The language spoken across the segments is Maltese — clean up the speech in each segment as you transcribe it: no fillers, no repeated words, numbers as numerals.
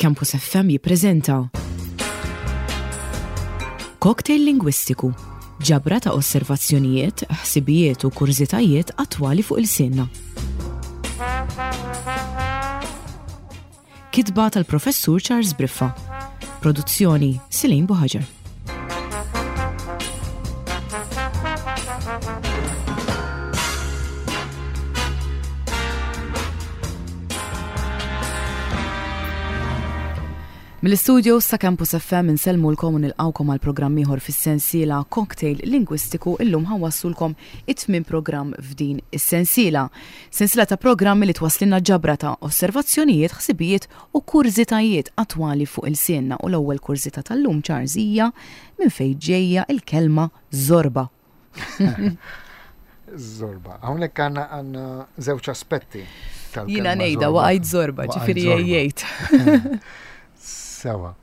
Campus FM jippreżenta Cocktail Lingwistiku, ġabra ta' osservazzjonijiet, ħsibijiet u kurżitajiet attwali fuq ilsienna. Kitba tal-Professur Charles Briffa. Produzzjoni Silin Buħaġar. Mill-istudios ta' Campus FM insellmulkom u nilqgħukom għal programm ieħor fis-sensiela Cocktail Lingwistiku illum ħawassulkom it-tmien programm f'din is-sensiela. Sensiela ta' programmi li twasslilna ġabra ta' osservazzjonijiet, ħsibijiet u kurżitajiet attwali fuq ilsienna u l-ewwel kurżità tal-lum Charles hija minn fejn ġejja l-kelma żorba. Zorba. Hawnhekk għandna għandna żewġ aspetti tal Jiena ngħidha waqajt zorba, ġifieri jgħid. Sewa.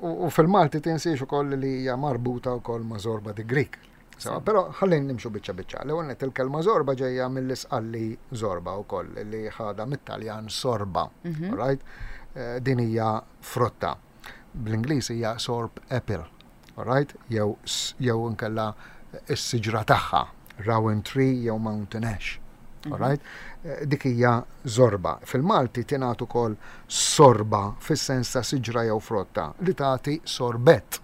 U fil-Malti tinsiex ukoll li hija marbuta wkoll ma' zorba di Greek. Sewa, però ħallin nimxu biċċa biċċa. L-ewwel nett il-kelma zorba ġejja mill-isqalli zorba wkoll li ħadha mit-Taljan sorba. Mhm. Right? Eh, din hija frotta. Bl-Ingliż hija sorb apple. Alright? Jew jew inkella is-siġra tagħha, rowan tree jew mountain ash. Mhm. Alright? Eh, dik hija zorba. Fil-Malti tingħad ukoll sorba fis-sens ta' siġra jew frotta li tagħti sorbett.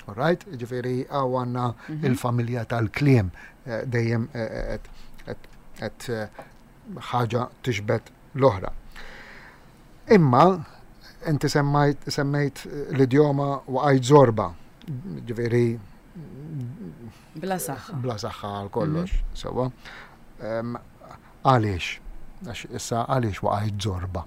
Alright? Ġifieri hawn għandna mhm. il-familja tal-kliem eh, dejjem eh, qed ħaġa tixbet l-oħra. Imma inti semmajt semmejt l-idjoma waqajt żorba, ġifieri Bla saħħa. Bla saħħa għal kollox, mhm. sewwa. Għaliex? Għax issa għaliex waqajt żorba?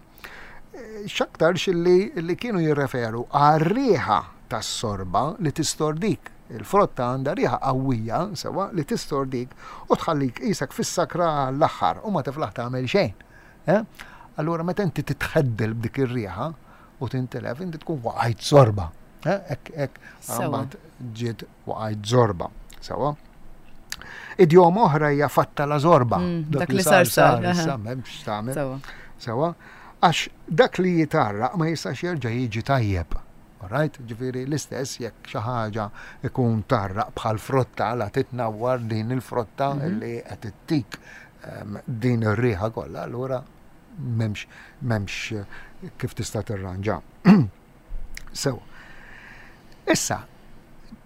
X'aktarx li li kienu jirreferu għar-riħa tas-sorba li tistordik. Il-frotta għandha riħa qawwija, sewwa, li tistordik u tħallik qisek fis-sakra għall-aħħar u ma tiflaħ tagħmel xejn. Eh? Allura meta inti titħeddel b'dik ir-riħa u tintilef, inti tkun waqajt zorba. Eh? Ek, ek, mbagħad ġiet waqajt zorba. Sewa. Idjoma oħra hija fatta la zorba. Mm, dak li sar sar, issa m'hemmx tagħmel. Sewa. Għax dak li jitarraq ma jistax jerġa' jiġi tajjeb. Alright? Ġifieri l-istess jekk xi ħaġa ikun tarraq bħal frotta la titnawwar din il-frotta mhm. li qed ittik ehm, din ir-riħa kollha, allura m'hemmx m'hemmx eh, kif tista' tirranġa. Sew. Issa,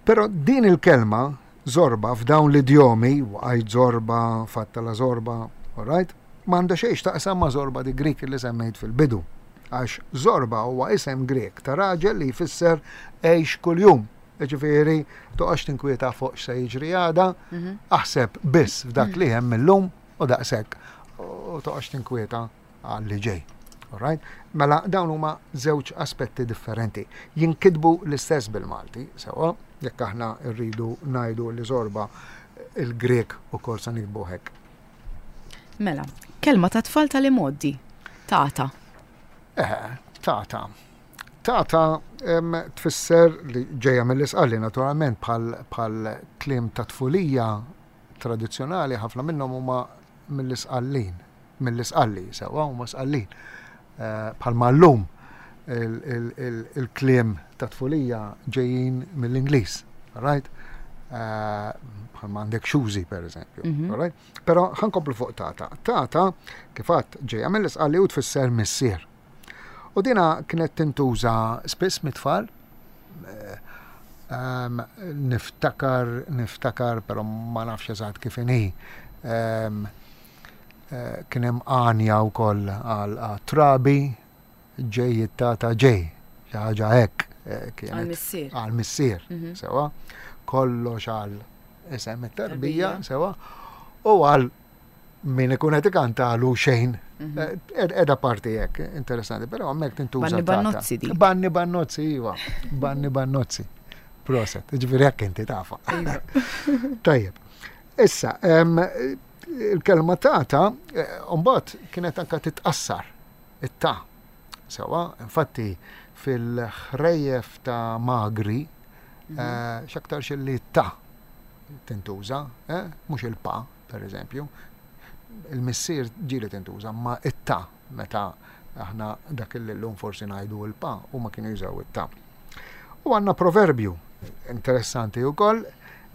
però din il-kelma zorba f'dawn l-idjomi, waqajt zorba, fatta la zorba, alright? M'għandha xejn x'taqsam ma' Zorba di Greek li semmejt fil-bidu. Għax Zorba huwa isem Grieg ta' raġel li jfisser għix kuljum. Jiġifieri toqgħodx tinkwieta fuq x'se jiġri għada, mhm. aħseb biss f'dak li hemm illum u daqshekk u toqgħodx tinkwieta għal li ġej. Alright? Mela dawn huma żewġ aspetti differenti. Jinkitbu l-istess bil-Malti, sewa, jekk aħna rridu ngħidu li Zorba il-Grek ukoll se nikbu hekk. Mela, kelma ta' tfal tal-imgħoddi. Tata. Eh, tata. Tata tfisser li ġejja mill-isqalli naturalment bħal kliem ta' tfulija tradizzjonali ħafna minnhom huma mill-isqallin, mill-isqalli sewwa huma sqallin. Eh, bħalma llum il-kliem ta' tfulija ġejjin mill-Ingliż, right? Eh, bħalma għandek xużi per eżempju, mhm. right? Però ħankomplu fuq tata. Tata, kif għadt, ġejja mill-isqalli u tfisser missier. U dina kienet tintuża spiss mit-tfal. Eh, ehm, niftakar, niftakar, però ma nafx eżatt kif inhi. Ehm, eh, kien hemm għanja wkoll għal trabi ġej it-tata ġej, xi ħaġa hekk eh, kienet. Għal-missier. Għal-missier, mhm. sewa. Kollox għal isem it-tarbija, sewa. U għal min ikun qed ikantalu xejn. Mhm. Eh, edha parti hekk, interessanti, però hemmhekk tintuża. Banni bannozzi di. Banni bannozzi, iva. Banni bannozzi. Proset, ġifieri hekk inti tafa. Iva. Tajjeb. Issa, il-kelma tata, eh, mbagħad kienet anka titqassar it-ta. Sewa, infatti fil-ħrejjef ta' magri, mhm. eh, x'aktarx li ta' tintuża, eh, mhux il-pa, per eżempju. Il-missier ġieli tintuża, ma it-ta meta Aħna dak li llum forsi ngħidu l-pa, huma kienu jużaw it-ta. U għandna proverbju interessanti wkoll,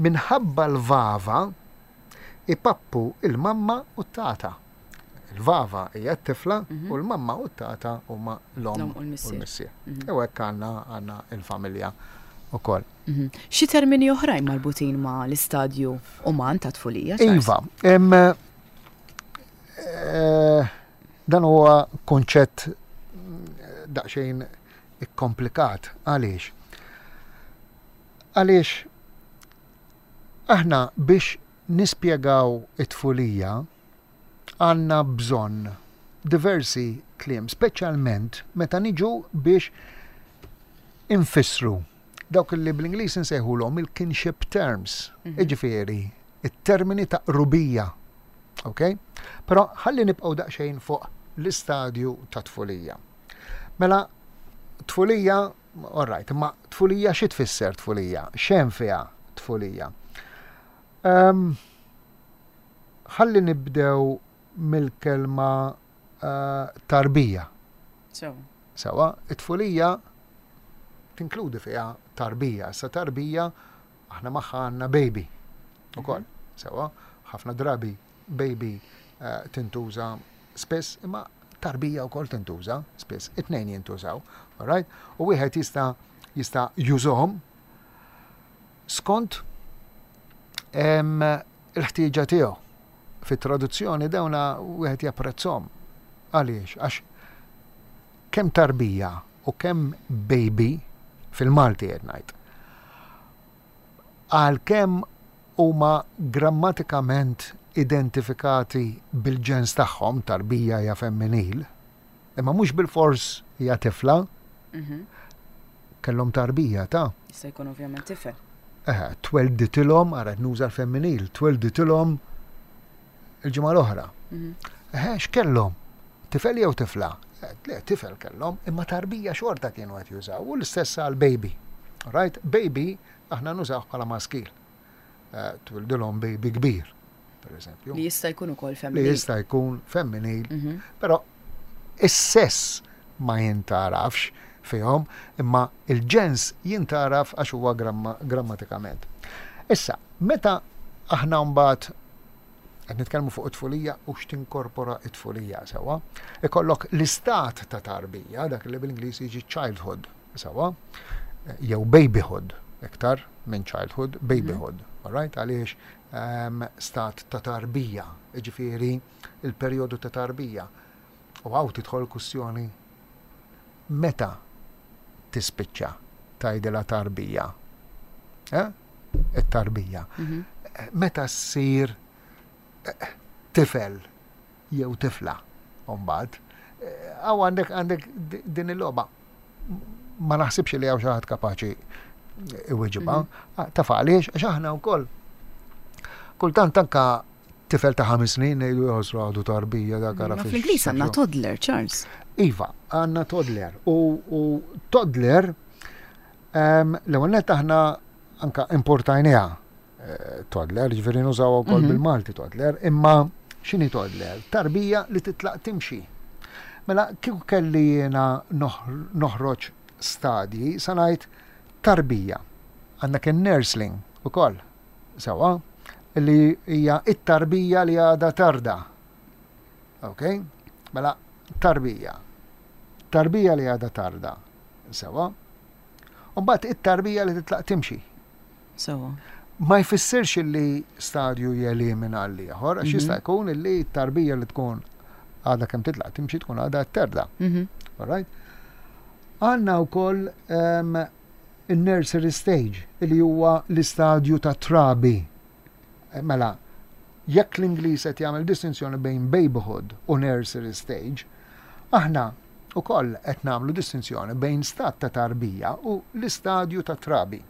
minħabba l-vava ipappu il-mamma u t-tata. Il-vava hija t-tifla mhm. u l-mamma u t-tata huma l-omm u l-missier. Mhm. U hekk għandna għandna il-familja ukoll. Mhm. Xi termini oħrajn marbutin ma' l-istadju uman ta' tfulija? Iva, eh, dan huwa konċett daqsxejn ikkomplikat. Għaliex? Għaliex aħna biex nispjegaw it-tfulija għandna bżonn diversi kliem, speċjalment meta niġu biex infissru dawk li bl-Ingliż insejħulhom il-kinship terms, mhm. jiġifieri it-termini ta' qrubija. Ok? Però ħalli nibqgħu daqsxejn fuq l-istadju ta' tfulija. Mela, tfulija, all right, imma tfulija xi tfisser tfulija? X'hemm fiha tfulija? Ehm, ħalli nibdew mill-kelma eh, tarbija. Sewa, it-tfulija tinkludi fiha tarbija. Sa tarbija aħna magħha għandna baby. Ukoll, mhm. sewa, ħafna drabi baby eh, tintuża spiss, imma tarbija wkoll tintuża spiss, it-tnejn jintużaw, alright? U wieħed jista' jista' jużhom skont il-ħtieġa tiegħu. Fit-traduzzjoni dawna wieħed japprezzhom. Għaliex? Għax kemm tarbija u kemm baby fil-Malti qed ngħid. Għalkemm huma grammatikament identifikati bil-ġens tagħhom, tarbija hija femminil, imma mhux bilfors hija tifla. Mhm. Kellhom tarbija ta'. Jista' jkun ovvjament tifel. Eħe, twelditilhom, ara nuża l-femminil, twelditilhom il-ġimgħa l-oħra. Mhm. Eħe, x'kellhom? Tifel jew tifla? Eh, le, tifel kellhom, imma tarbija xorta kienu qed jużaw, u l-istess għal baby. Right? Baby aħna nużaw bħala maskil. Eh, twildilhom baby kbir, per eżempju. Li jista' jkun ukoll femminil. Li jista' jkun femminil, mhm. però is-sess ma jintarafx fihom, imma il-ġens jintaraf għax huwa grammatikament. Issa, meta aħna mbagħad qed nitkellmu fuq it-tfulija u x'tinkorpora it-tfulija sewwa, ikollok l-istat ta' tarbija, dak li bil-Ingliż jiġi childhood, sewwa, jew babyhood, iktar minn childhood, babyhood, mm -hmm. alright, għaliex um, stat ta' tarbija, ġifieri il-perjodu ta' tarbija. U hawn tidħol kwistjoni meta tispiċċa tgħidilha tarbija. Eh? It-tarbija. Mhm. Meta ssir eh, tifel jew tifla mbagħad. Eh, hawn għandek għandek din il-logħba. Ma naħsibx li hawn xi ħadd kapaċi iweġibha. Mhm. Ah, taf għaliex għax aħna wkoll kultant anka tifel ta' ħames snin ngħidu jħossru għadu tarbija dak ara fix. Fl-Ingliż għandna toddler, Charles. Iva, għandna toddler. U, u toddler ehm, l-ewwel nett aħna anka importajniha eh, toddler, ġifieri nużaw ukoll mhm. bil-Malti toddler, imma x'inhi toddler? Tarbija li titlaq timxi. Mela kieku kelli jiena noħroġ stadji sa ngħid tarbija. Għandek in-nursling ukoll. Sewwa, li hija it-tarbija li għadha tarda. Ok? Mela, tarbija. Tarbija li għadha tarda. Sewwa. U mbagħad it-tarbija li titlaq timxi. Sewwa. Ma jfissirx li stadju jelimina l-ieħor, għax jista' mhm. jkun li tarbija li tkun għadha kemm titlaq timxi tkun għadha terda. Mhm. All right? Għandna wkoll ehm, in-nursery stage, li huwa l-istadju tat-trabi. Mela, jekk l-Ingliż qed jagħmel distinzjoni bejn babyhood u nursery stage, aħna wkoll qed nagħmlu distinzjoni bejn stat ta' tarbija u l-istadju ta' trabi.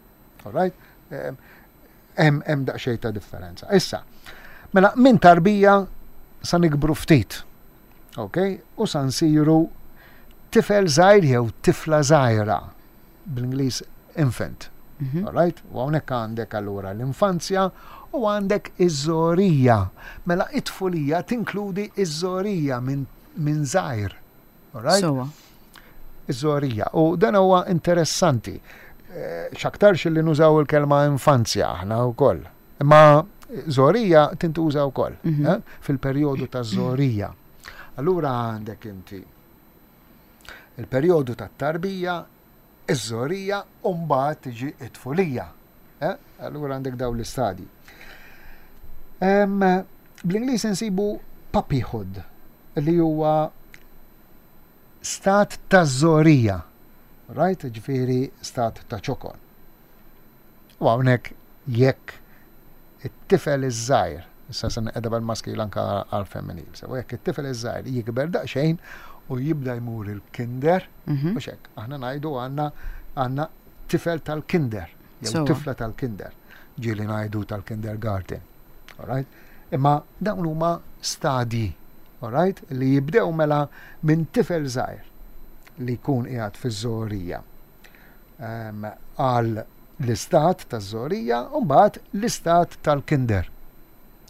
All right? Hemm hemm daqsxejn ta' differenza. Issa, mela minn tarbija sa nikbru ftit. Ok? U sa nsiru tifel żgħir jew tifla żgħira bl-Ingliż infant. Mhm. Alright? U hawnhekk għandek allura l-infanzja u għandek iż-żorija. Mela it-tfulija tinkludi iż-żorija minn min żgħir. Alright? Sewwa. Iż-żgħorija. U dan huwa interessanti. Eh, x'aktarx li nużaw il-kelma infanzja aħna wkoll. Imma żgħorija tintuża wkoll mm -hmm. eh, fil-perjodu ta' żgħorija. Allura għandek inti il-perjodu tat-tarbija, iż-żgħorija u mbagħad tiġi t-tfulija. Eh? Allura għandek dawn l-istadji. Bl-Ingliż insibu puppyhood li huwa stat ta' żgħorija. Right? Ġifieri stat ta' ċokon. U hawnhekk jekk it-tifel iż-żgħir, issa se nqeda bil-maskil anka għal-femminil, sewa jekk it-tifel iż-żgħir jikber daqsxejn u jibda jmur il-kinder, mhm. mhux hekk, aħna ngħidu għandna għandna tifel tal-kinder, jew tifla tal-kinder, ġieli ngħidu tal-kindergarten. Alright? Imma dawn huma stadji, alright, li jibdew mela minn tifel żgħir li jkun qiegħed fiż-żgħorija ehm, għal l-istat taż-żgħorija u mbagħad l-istat tal-kinder.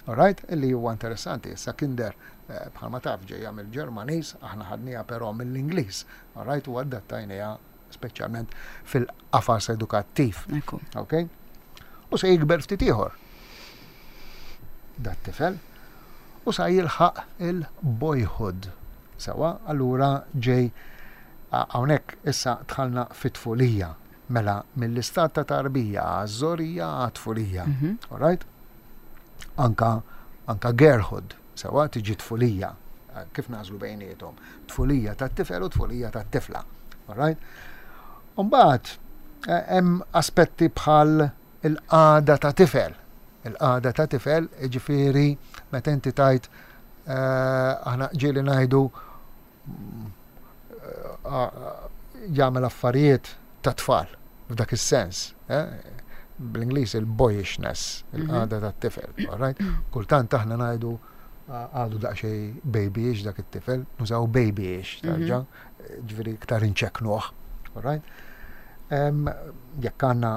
Alright? Illi huwa interessanti, issa kinder eh, bħalma taf ġejja mill-Ġermaniż, aħna ħadniha però mill-Ingliż, alright, u adattajniha speċjalment fil-qafas edukattiv. Ok? U se jikber ftit ieħor. Dat tifel u sa jilħaq il-boyhood. Sewa, allura ġej hawnhekk issa dħalna fit-tfulija. Mela mill-istat ta' tarbija għaż-żorija għat-tfulija. Mhm. Alright? Anka anka girlhood. Sewwa, tiġi tfulija. Kif nagħżlu bejniethom? Tfulija tat-tifel u tfulija tat-tifla. Alright? Umbagħad eh, hemm aspetti bħal il-qagħda ta' tifel. Il-qagħda ta' tifel, jiġifieri meta inti tajt eh, aħna ġieli ngħidu jagħmel affarijiet ta' tfal f'dak is-sens. Eh? Bl-Ingliż il-boyishness, mhm. il-qagħda tat-tifel. Right? Kultant aħna ngħidu għadu daqsxejn babyish dak it-tifel, nużaw babyish, mhm. tarġa, ġifieri iktar inċeknuh. Right? Jekk għandna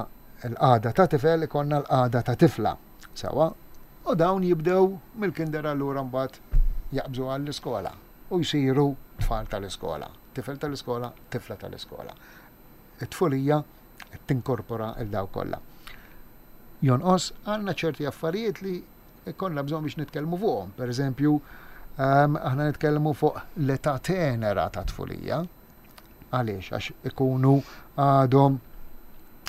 l-qagħda ta' tifel, ikonna l-qagħda ta' tifla. Sewa, u dawn jibdew mill-kinder allura mbagħad jaqbżu għall-iskola. u jsiru tfal tal-iskola, tifel tal-iskola, tifla tal-iskola. It-tfulija qed tinkorpora 'l dawk kollha. Jonqos għandna ċerti affarijiet li konna bżonn biex nitkellmu fuqhom. Per eżempju, ehm, aħna nitkellmu fuq l-età tenera ta' tfulija. Għaliex? Għax ikunu għadhom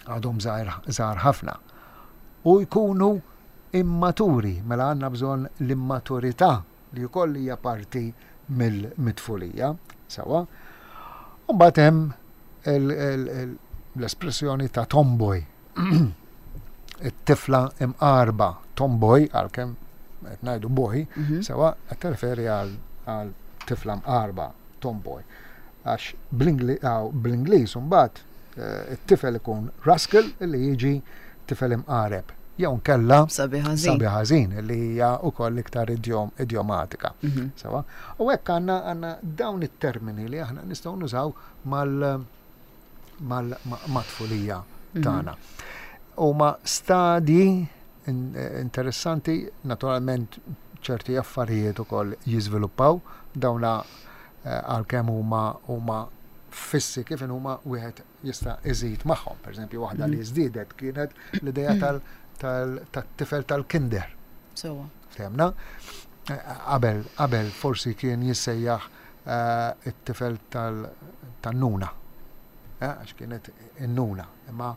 għadhom żgħar ħafna. U jkunu immaturi, mela għandna bżonn l-immaturità li wkoll hija parti mill-tfulija, sewwa. U mbagħad hemm l-espressjoni ta' tomboy. It-tifla imqarba, tomboy, għalkemm qed ngħidu boy, mhm. sewwa qed tirreferi għal tifla mqarba, tomboy. Għax bl-Ingliż imbagħad eh, it-tifel ikun rascal li jiġi tifel imqareb. Jew nkella sabi ħażin li hija wkoll iktar idjomatika. Mhm. Sewa. U hekk għandna għandna dawn it-termini li aħna nistgħu nużaw mal mal-tfulija mhm. tagħna. Huma stadji interessanti, naturalment ċerti affarijiet ukoll jiżviluppaw dawna eh, għalkemm huma huma fissi kif huma wieħed jista' iżid magħhom. Per eżempju, waħda li mhm. żdiedet kienet l-idea tal-tifel tal-kinder. Sewa. Fehmna? Eh, qabel, qabel forsi kien jissejjaħ eh, it-tifel tan-nuna. Eh, għax kienet in-nuna. Imma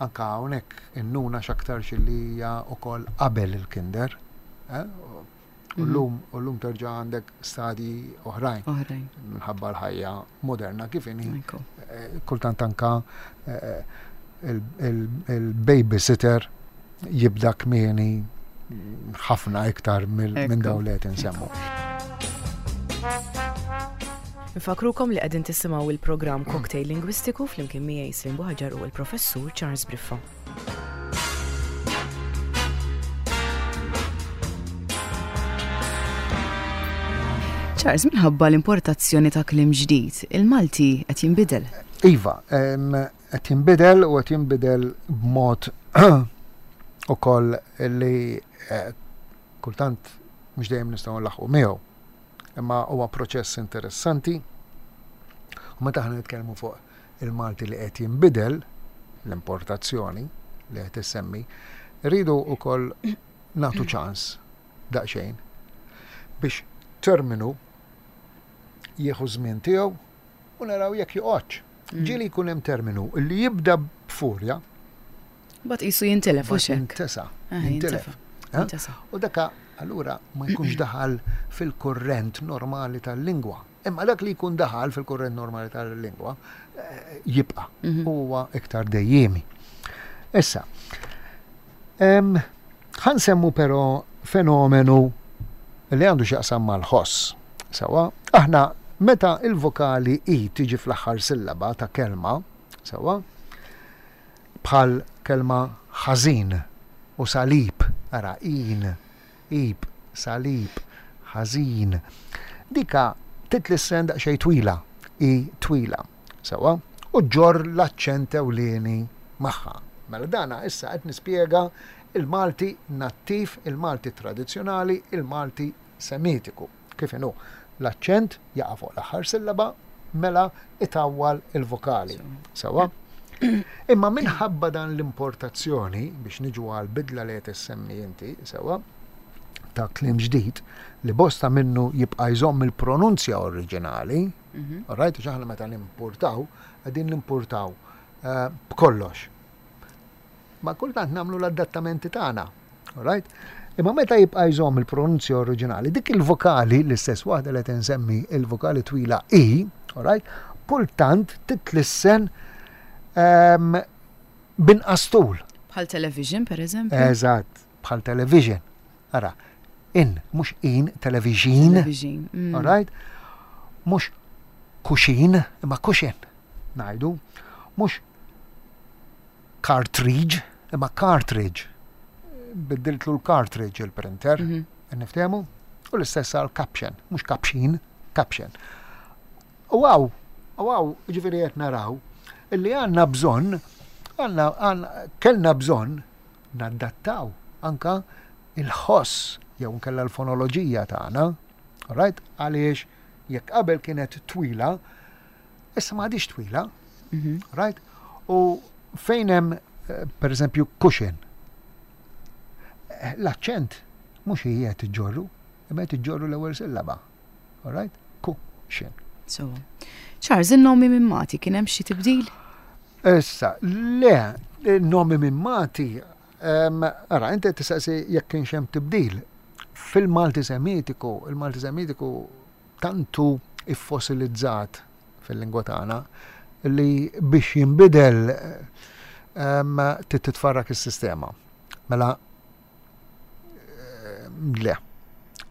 anka hawnhekk in-nuna x'aktarx li hija wkoll qabel il-kinder. U mhm. llum u llum terġa' għandek stadji oħrajn. Oħrajn. Minħabba l-ħajja moderna kif inhi. Eh, kultant anka eh, il-babysitter jibda kmieni ħafna iktar minn dawn li qed insemmu. Nfakrukom li qegħdin tisimgħu il-programm Cocktail Lingwistiku flimkien miegħi Slim Buħaġar u l-Professur Charles Briffa. Charles, minħabba l-importazzjoni ta' kliem ġdid, il-Malti qed jinbidel. Iva, qed jinbidel u qed jinbidel b'mod ukoll li eh, kultant mhux dejjem nistgħu nlaħħqu miegħu. Imma huwa proċess interessanti. U meta aħna nitkellmu fuq il-Malti li qed jinbidel, l-importazzjoni li qed issemmi, rridu wkoll nagħtu ċans daqsxejn biex terminu jieħu żmien tiegħu u naraw jekk joqgħodx. Mm. Ġieli jkun hemm terminu li jibda b'furja. Bat qisu jintilef u xek. Jintesa. Ah, jintilef. Eh? U daka allura ma jkunx daħal fil-kurrent normali tal-lingwa. Imma dak li jkun daħal fil-kurrent normali tal-lingwa eh, jibqa' mhm. huwa iktar dejjiemi. Issa, ħansemmu però fenomenu li għandu x'jaqsam mal-ħoss. Sewa, aħna meta il-vokali i tiġi fl-aħħar sillaba ta' kelma, sewa, bħal kelma ħażin u salib, ara in, ib, salib, ħażin. Dika titlissen daqsxejn twila, i twila, sewwa, u ġġorr l-aċċent ewlieni magħha. Mela dana issa qed nispjega il-Malti nattiv, il-Malti tradizzjonali, il-Malti Semitiku. Kif inhu? L-aċċent jaqa' fuq l-aħħar sillaba, mela itawwal il-vokali. Sewwa? Imma minħabba dan l-importazzjoni, biex niġu għal bidla li qed issemmi inti, sewwa, ta' kliem ġdid, li bosta minnu jibqa' jżomm il-pronunzja oriġinali, mhm. right, għax aħna meta nimportaw, qegħdin nimportaw eh, b'kollox. Ma kultant nagħmlu l-adattamenti tagħna. Right? Imma meta jibqa' jżomm il-pronunzja oriġinali, dik il-vokali, l-istess waħda li qed insemmi il-vokali twila i, right? Kultant titlissen ehm, binqas tul. Bħal television, per eżempju. Eżatt, bħal television. Ara, in, mhux in, television. Television. Mm. All right? Mhux kuxin, imma kuxin, ngħidu. Mhux cartridge, imma cartridge. Biddiltlu l-cartridge il-printer, mhm. niftehmu? U l-istess għal caption, mhux caption, caption. U għaw, u għaw, ġifiri qed naraw, illi għandna bżonn, għandna, kellna bżonn naddattaw anka il-ħoss jew nkella l-fonoloġija tagħna, right? Għaliex jekk qabel kienet twila, Issa ma għadix twila, mhm. right? U fejn hemm eh, per eżempju cushion. Eh, l-aċċent mhux hi qed iġġorru, imma qed iġġorru l-ewwel sillaba. All right? Cushion. So, Charles, in-nomi minn Mati kien hemm xi tibdil? Issa, le, nomi minn Mati, ara, inti tistaqsi jekk kienx hemm tibdil. Fil-Malti Semitiku, il-Malti Semitiku tant hu iffosilizzat fil-lingwa tagħna li biex jinbidel trid titfarrak is-sistema. Mela le.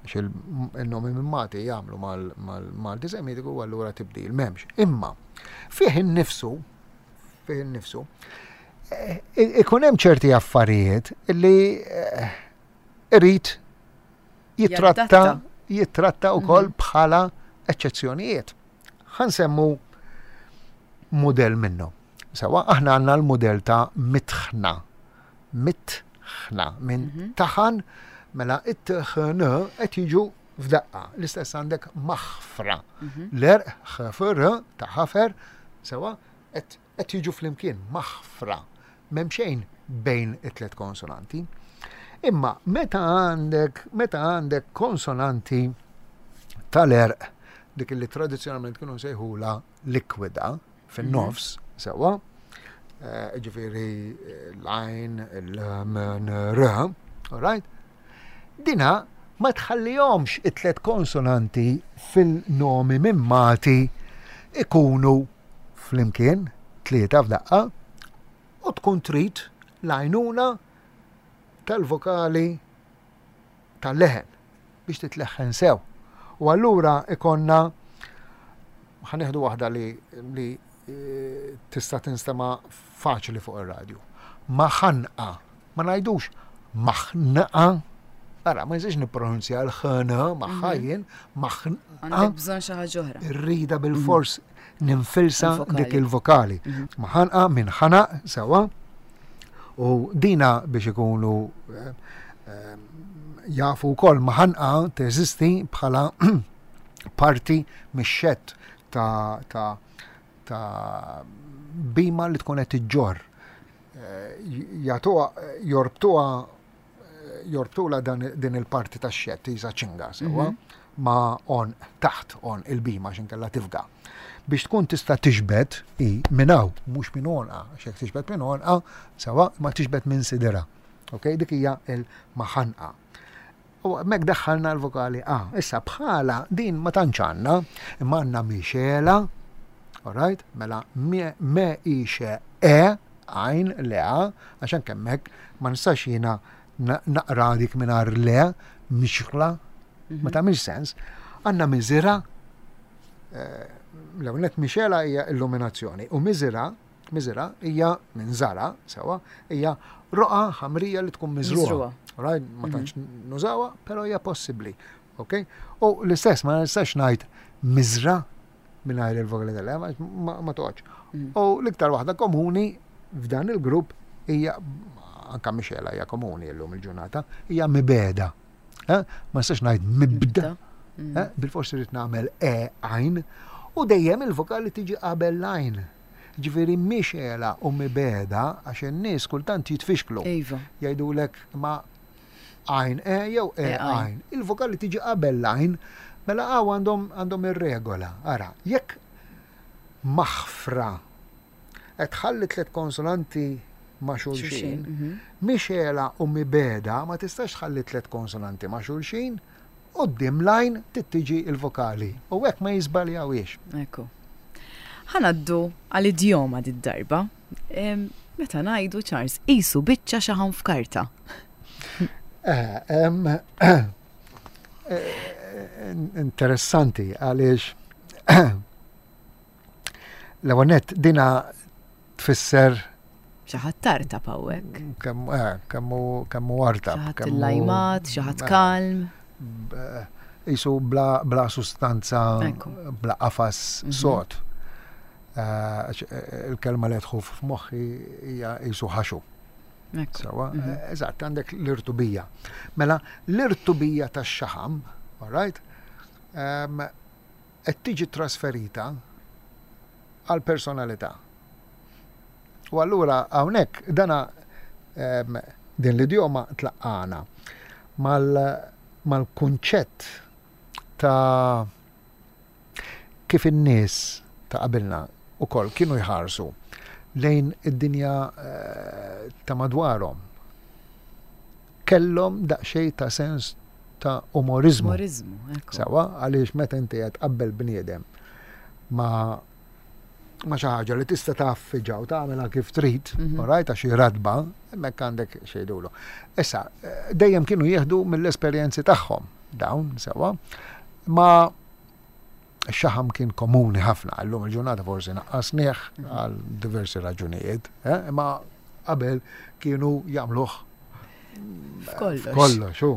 Għax il-nomi mimmati jagħmlu mal-Malti Semitiku u allura tibdil m'hemmx. Imma fih innifsu, fih innifsu, eh, ikun hemm ċerti affarijiet li eh, irid jitratta jitratta wkoll mhm. bħala eċċezzjonijiet. Ħansemmu mudell minnu. Sewa, aħna għandna l-mudell ta' mitħna. Mitħna minn mhm. taħan mela it-tħn qed jiġu f'daqqa. L-istess għandek maħfra. Mhm. L-erq ħafr ta' ħafer, sewa, qed jiġu flimkien maħfra. M'hemm xejn bejn it-tlet konsonanti. Imma meta għandek meta għandek konsonanti tal-erq dik li tradizzjonalment kienu nsejħula likwida fin-nofs, mhm. sewwa, eh, ġifieri eh, l-għajn, l-m, r, all right? Dina ma tħallihomx it-tlet konsonanti fil-nomi mimmati ikunu flimkien, tlieta f'daqqa, u tkun trid l-għajnuna tal-vokali tal-leħen biex titleħħen sew. U allura ikonna ħanieħdu waħda li, li eh, tista' tinstema' faċli fuq ir-radju. Ma ħanqa, ma ngħidux maħnaqa, Ara, ma jistax nippronunzja l-ħna magħha mhm. jien, maħnaqa. Għandek bżonn xi ħaġa oħra. Irrida bil-fors mhm. ninfilsa dik il-vokali. Mhm. Maħanqa minn ħanaq sewa. U dina biex ikunu eh, eh, jafu wkoll maħanqa teżisti bħala parti mix-xett ta' ta' ta' bima li tkun qed iġġorr. Eh, jagħtuha jorbtuha jorbtula dan din il-parti tax-xett isa ċinga sewwa mhm. ma on taħt on il-bima x'inkella tifga. Biex tkun tista' tiġbed i minn hawn mhux minn onqa, għax jekk tiġbed minn onqa sewwa ma tiġbed minn sidira. Ok, dik hija il-maħanqa. U hemmhekk daħħalna l-vokali A. Issa bħala din ma tantx għandna, imma għandna mixela, alright, mela me i xe e, għajn le a, għax anke hemmhekk ma nistax jiena naqra dik mingħajr le, mixla, ma mhm. tagħmilx sens. Għandna miżira, eh, l-ewwel mixela hija illuminazzjoni u miżira Miżra hija minn żara, sewa, hija roqa ħamrija li tkun miżruha. Right? Ma mhm. tantx nużawha, però hija possibbli. Ok? U l-istess ma nistax ngħid miżra mingħajr il-vokali tal ma toqgħodx. Mhm. U l-iktar waħda komuni f'dan il-grupp hija anka mixela hija komuni llum il-ġurnata, hija mibeda. Eh? Ma nistax ngħid mibda. Mm. Eh? Bil-forsi rrid nagħmel e għajn u dejjem il-vokali tiġi qabel l-għajn. Ġifieri mhix għela u mibegħda għax in-nies kultant jitfixklu. Iva. Jgħidulek ma għajn e jew e, e għajn. Il-vokali tiġi qabel l-għajn, mela hawn għandhom għandhom ir-regola. Ara, jekk maħfra qed tħalli tliet konsonanti ma' xulxin, mhm. mhix għela u mibegħda ma tistax tħalli tliet konsonanti ma' xulxin, Quddiem l-għajn trid tiġi l-vokali u hekk ma jiżbaljawhiex. Ekku. Ħa ngħaddu għal idjoma did-darba. Meta ngħidu Charles qisu biċċa xaħam f'karta. Eh, eh, interessanti għaliex L-ewwel nett dina tfisser Xi ħadd tartab hawnhekk. Kemm eh, kemm hu artab. Xi ħadd illajmat, xi ħadd eh, kalm. Isu bla, bla sustanza, bla qafas mhm. sod. Eh, il-kelma li tħu f'moħħi hija isu ħaxu. Sawa, mhm. eżatt, għandek l-irtubija. Mela, l-irtubija tax-xaħam, all right, ehm, qed tiġi trasferita għall-personalità. U allura hawnhekk dana ehm, din l-idjoma tlaqqana mal-kunċett ta' kif in-nies ta' qabilna ukoll kienu jħarsu lejn id-dinja eh, ta' madwarhom. Kellhom daqsxejn ta' sens ta' umoriżmu. Umoriżmu, ekku. Sewwa, għaliex meta inti qed tqabbel bniedem ma' ma' xi ħaġa li tista' tgħaffiġha u tagħmilha kif trid, mm -hmm. right, għax hi ratba, hemmhekk għandek xejdulu. Issa, dejjem kienu jieħdu mill-esperjenzi tagħhom dawn, sewwa, ma xaħam kien komuni ħafna, llum il-ġurnata forsi naqqasnieh mhm. għal diversi raġunijiet, eh, imma qabel kienu jagħmluh F'kollox. F'kollox, hu.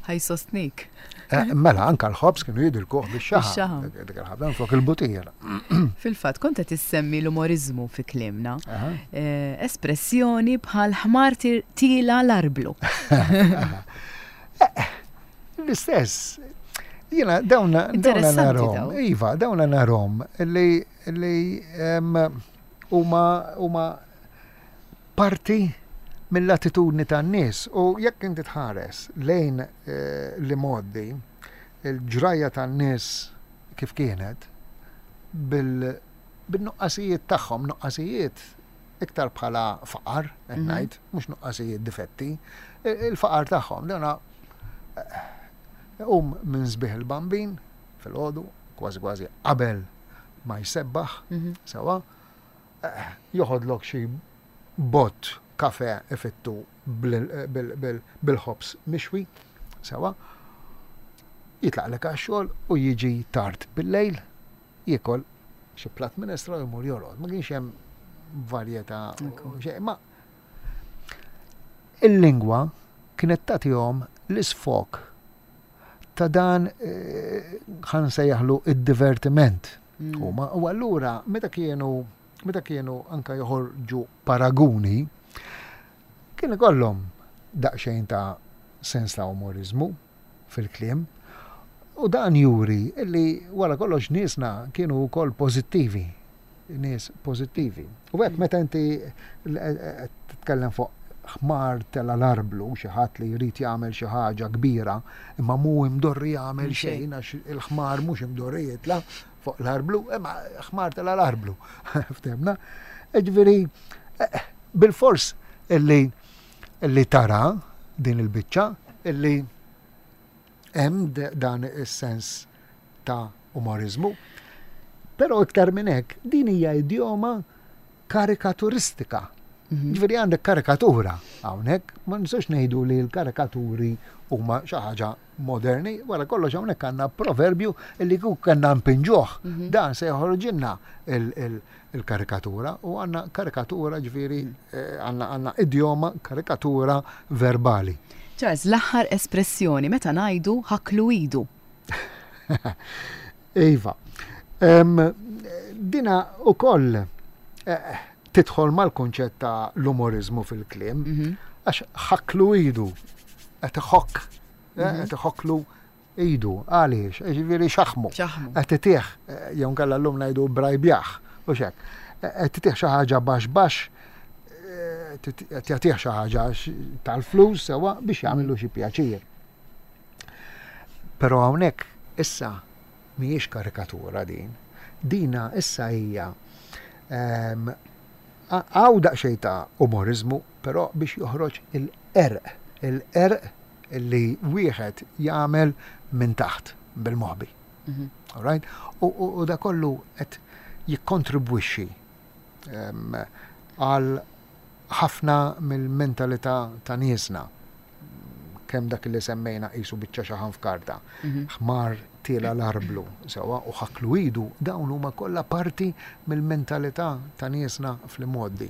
Ħaj sostnik. Eh, mela, anka l-ħobs kienu jidilkuh bix-xaħam. Dik il-ħabda flok il-butir. Fil-fatt, kont qed issemmi l-umorizmu fi kliemna. Eh, espressjoni bħal ħmar tila l-arblu. Eh, l-istess. Jiena dawna narhom. Iva, dawna narhom li huma huma parti mill-attitudni tan-nies u jekk inti tħares lejn eh, l-imgħoddi, il-ġrajja tan-nies kif kienet, bil-nuqqasijiet tagħhom, nuqqasijiet iktar bħala faqar, qed mhm. ngħid, mhux nuqqasijiet difetti, il-faqar tagħhom, dana eh, um minn sbieħ il-bambin fil-ħodu, kważi kważi qabel ma jsebbaħ, mhm. sewa, Joħodlok xi bott kafè ifittu bil-ħobż mixwi, sewwa, jitlaqlek għax-xogħol u jiġi tard bil-lejl, jiekol xi platt minestra u jmur jorqod. Ma kienx hemm varjetà xejn, ma il-lingwa kienet tagħtihom l-isfog ta' dan eh, ħa nsejjaħlu id-divertiment. Mm. Huma u allura meta kienu meta kienu anka joħorġu paraguni kien ikollhom daqsxejn ta' sens ta' umorizmu fil-kliem. U dan juri li wara kollox niesna kienu wkoll pożittivi, nies pożittivi. U hekk meta inti titkellem fuq ħmar tela l-arblu, xi ħadd li jrid jagħmel xi ħaġa kbira, imma mhu imdorri jagħmel xejn għax il-ħmar mhux imdorri jitla' fuq l-arblu, imma ħmar tela l-arblu. Ftemna? Ġifieri, eh, bil-fors illi illi tara din il-biċċa illi hemm dan is-sens ta' umoriżmu. Però iktar minn hekk, din hija idjoma karikaturistika. Mhm. Ġifieri għandek karikatura hawnhekk, ma nistgħux ngħidu li l-karikaturi huma xi ħaġa moderni, wara kollox hawnhekk għandna proverbju li kieku kellna npinġuh, mhm. dan se joħorġilna il-karikatura u għandna karikatura ġifieri mhm. eh, għandna idjoma karikatura verbali. Charles, l-aħħar espressjoni meta ngħidu ħaklu idu. Iva. Dina u koll eh, tidħol mal-kunċett ta' l-umorizmu fil-kliem, mhm. għax ħaklu idu, qed iħokk, eh, mhm. qed iħokklu idu, għaliex, ġifieri xaħmu. Qed itih, eh, jew nkella llum ngħidu brajbjaħ, u xek. Qed itih xi ħaġa baxx baxx, qed jagħtih xi ħaġa tal-flus sewa biex jagħmillu xi pjaċir. Però hawnhekk issa mhijiex karikatura din. Dina issa hija ehm, hawn daqsxejn ta' umoriżmu, però biex joħroġ il-qerq, il-qerq li wieħed jagħmel minn taħt bil-moħbi. Mhm. Alright? U da kollu qed jikkontribwixxi ehm, għal ħafna mill-mentalità ta' niesna. Kemm dak li semmejna qisu biċċa xaħam f'karta, mhm. ħmar tiela l-arblu, sewwa u ħaklu idu, dawn huma kollha parti mill-mentalità ta' niesna fl-imgħoddi.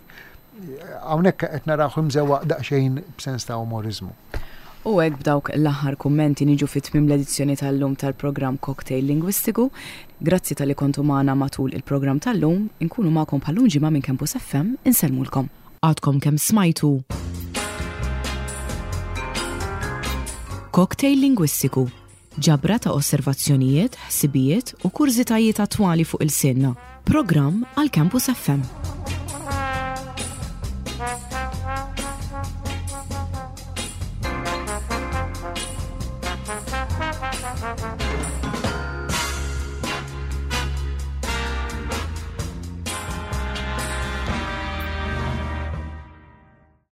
Hawnhekk qed narawh imżewwaq daqsxejn b'sens ta' umoriżmu. U hekk b'dawk l-aħħar kummenti niġu fi tmiem l-edizzjoni tal-lum tal-programm Cocktail Lingwistiku. Grazzi talli kontu magħna matul il-programm tal-lum. Inkunu magħkom bħal-lum ġimgħa minn Campus FM. Insellmulkom. Għadkom kemm smajtu Cocktail Lingwistiku, ġabra ta' osservazzjonijiet, ħsibijiet u kurżitajiet attwali fuq ilsienna. Programm għal Campus FM.